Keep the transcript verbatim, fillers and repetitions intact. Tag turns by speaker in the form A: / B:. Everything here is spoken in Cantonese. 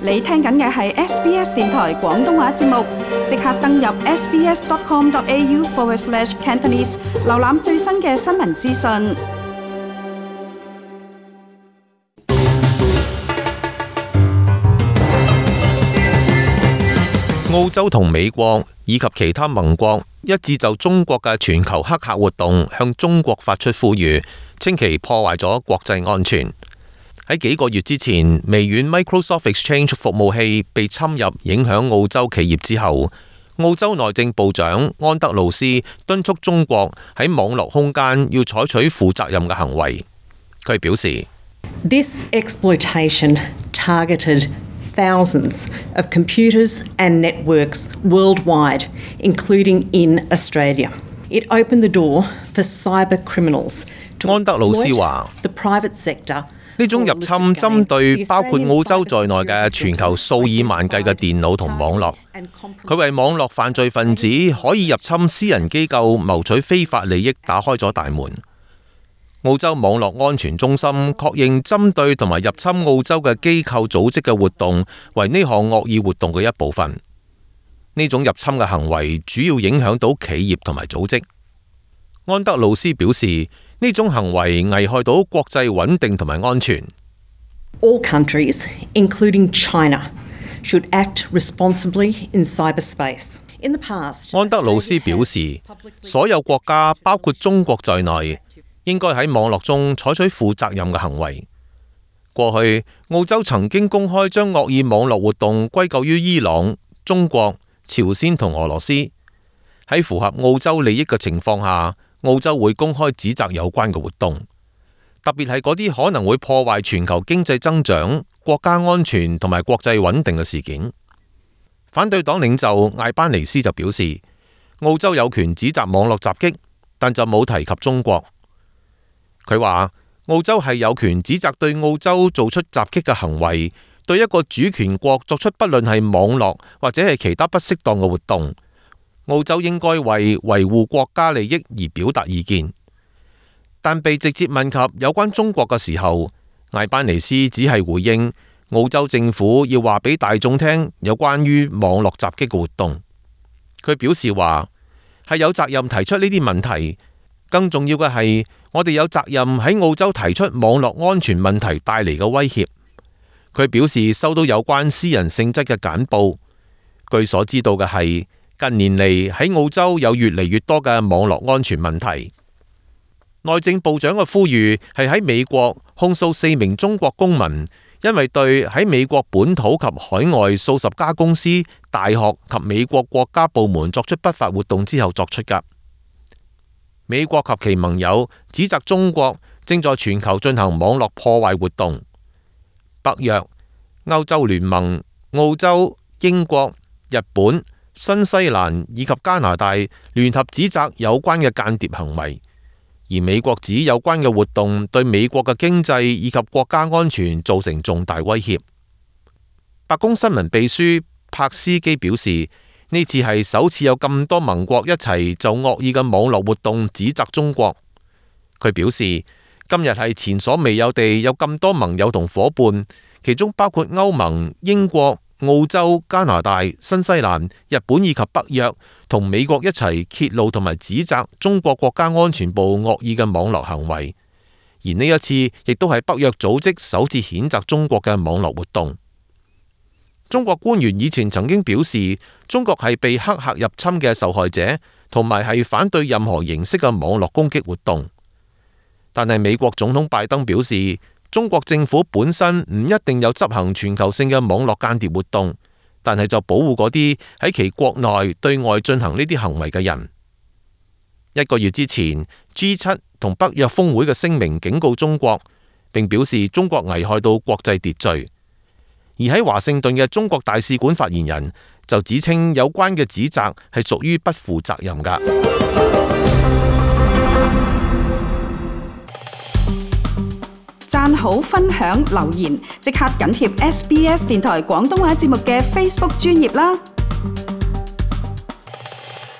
A: 你聽緊嘅係 S B S 電台廣東話節目，即刻登入 sbs.com.au forward slash Cantonese， 瀏覽最新嘅新聞資訊。
B: 澳洲同美國以及其他盟國一致就中國嘅全球黑客活動向中國發出呼籲，稱其破壞咗國際安全。喺幾個月之前，微軟 Microsoft Exchange 服務器被侵入，影響澳洲企業之後，澳洲內政部長安德魯斯敦促中國喺網絡空間要採取負責任嘅行為。佢表示
C: This exploitation targeted thousands of computers and networks worldwide, including in Australia. It opened the door for cyber criminals to exploit the private sector.
B: 呢種入侵針對包括澳洲在內嘅全球數以萬計嘅電腦同網絡，佢為網絡犯罪分子可以入侵私人機構謀取非法利益打開咗大門。澳洲網絡安全中心確認針對同埋入侵澳洲嘅機構組織嘅活動為呢項惡意活動嘅一部分。呢種入侵嘅行為主要影響到企業同埋組織。安德魯斯表示，呢種行為危害到國際穩定同埋安全。
C: All countries, including China, should act responsibly in cyberspace. In the past,
B: 安德魯斯表示，所有國家包括中國在內，應該喺網絡中採取負責任嘅行為。過去，澳洲曾經公開將惡意網絡活動歸咎於伊朗、中國、朝鮮同俄羅斯。喺符合澳洲利益嘅情況下，澳洲會公開指責有關嘅活動，特別係嗰啲可能會破壞全球經濟增長、國家安全同埋國際穩定嘅事件。反對黨領袖艾班尼斯就表示，澳洲有權指責網絡襲擊，但就冇提及中國。佢話，澳洲係有權指責對澳洲做出襲擊嘅行為，對一個主權國作出不論係網絡或者係其他不適當嘅活動。澳洲應該為維護國家利益而表達意見，但被直接問及有關中國嘅時候，艾班尼斯只係回應澳洲政府要話俾大眾聽有關於網絡襲擊嘅活動。佢表示話係有責任提出呢啲問題，更重要嘅係我哋有責任喺澳洲提出網絡安全問題帶嚟嘅威脅。佢表示收到有關私人性質嘅簡報，據所知道嘅係，近年嚟喺澳洲有越嚟越多嘅網絡安全問題。內政部長嘅呼籲係喺美國控訴四名中國公民，因為對喺美國本土及海外數十家公司、大學及美國國家部門作出不法活動之後作出㗎。美國及其盟友指責中國正在全球進行網絡破壞活動。北約、歐洲聯盟、澳洲、英國、日本、新西蘭以及加拿大聯合指責有關嘅間諜行為，而美國指有關嘅活動對美國嘅經濟以及國家安全造成重大威脅。白宮新聞秘書柏斯基表示，呢次係首次有咁多盟國一齊就惡意嘅網絡活動指責中國。佢表示，今日係前所未有地有咁多盟友同夥伴，其中包括歐盟、英國、澳洲、加拿大、新西蘭、日本以及北約同美國一齊揭露同埋指責中國國家安全部惡意嘅網絡行為，而呢一次亦都係北約組織首次譴責中國嘅網絡活動。中國官員以前曾經表示，中國係被黑客入侵嘅受害者，同埋係反對任何形式嘅網絡攻擊活動。但係美國總統拜登表示，中國政府本身唔一定有執行全球性嘅網絡間諜活動，但係就保護嗰啲喺其國內對外進行呢啲行為嘅人。一個月之前 G 七 同北約峰會嘅聲明警告中國，並表示中國危害到國際秩序。而喺華盛頓嘅中國大使館發言人就指稱有關嘅指責係屬於不負責任㗎。
A: 讚好、分享、留言，即刻緊貼 S B S 電台廣東話節目嘅 Facebook 專頁啦！